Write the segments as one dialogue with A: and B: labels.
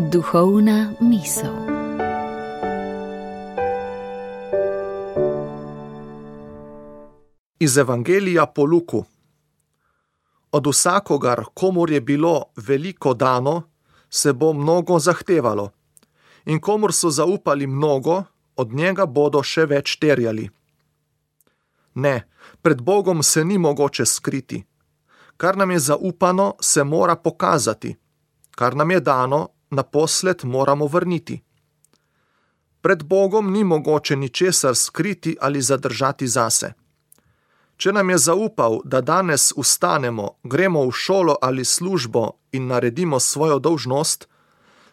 A: Duhovna misel.
B: Iz Evangelija po Luku. Od vsakogar, komur je bilo veliko dano, se bo mnogo zahtevalo, in komur so zaupali mnogo, od njega bodo še več terjali. Ne, pred Bogom se ni mogoče skriti. Kar nam je zaupano, se mora pokazati. Kar nam je dano, naposled moramo vrniti. Pred Bogom ni mogoče ničesar skriti ali zadržati zase. Če nam je zaupal, da danes vstanemo, gremo v šolo ali službo in naredimo svojo dolžnost,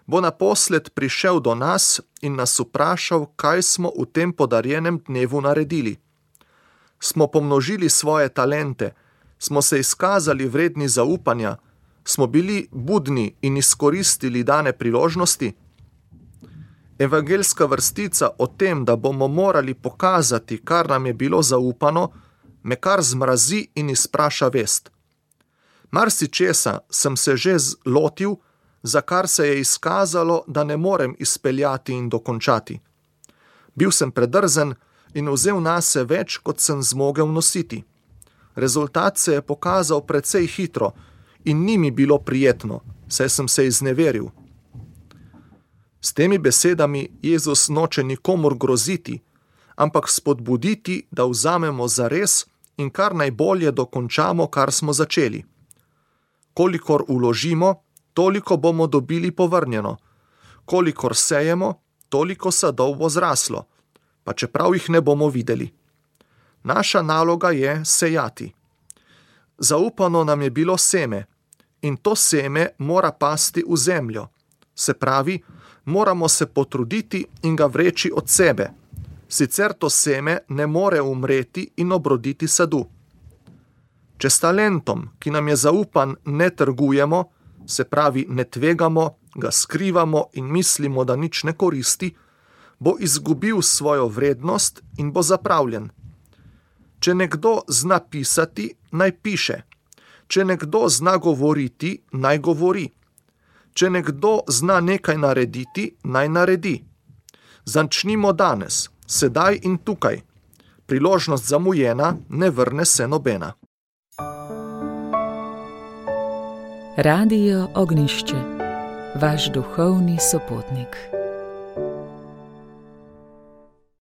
B: bo naposled prišel do nas in nas vprašal, kaj smo v tem podarjenem dnevu naredili. Smo pomnožili svoje talente, smo se izkazali vredni zaupanja, smo bili budni in izkoristili dane priložnosti? Evangeljska vrstica o tem, da bomo morali pokazati, kar nam je bilo zaupano, me kar zmrazi in izpraša vest. Marsičesa sem se že lotil, za kar se je izkazalo, da ne morem izpeljati in dokončati. Bil sem predrzen in vzel nase več, kot sem zmogel nositi. Rezultat se je pokazal precej hitro in ni mi bilo prijetno, saj sem se izneveril. S temi besedami Jezus noče nikomur groziti, ampak spodbuditi, da vzamemo zares in kar najbolje dokončamo, kar smo začeli. Kolikor vložimo, toliko bomo dobili povrnjeno. Kolikor sejemo, toliko sadov bo zraslo, pa čeprav jih ne bomo videli. Naša naloga je sejati. Zaupano nam je bilo seme in to seme mora pasti v zemljo. Se pravi, moramo se potruditi in ga vreči od sebe. Sicer to seme ne more umreti in obroditi sadu. Če s talentom, ki nam je zaupan, ne trgujemo, se pravi ne tvegamo, ga skrivamo in mislimo, da nič ne koristi, bo izgubil svojo vrednost in bo zapravljen. Če nekdo zna pisati, naj piše. Če nekdo zna govoriti, naj govori. Če nekdo zna nekaj narediti, naj naredi. Začnimo danes, sedaj in tukaj. Priložnost zamujena, ne vrne se nobena.
A: Radio Ognjišče, vaš duhovni sopotnik.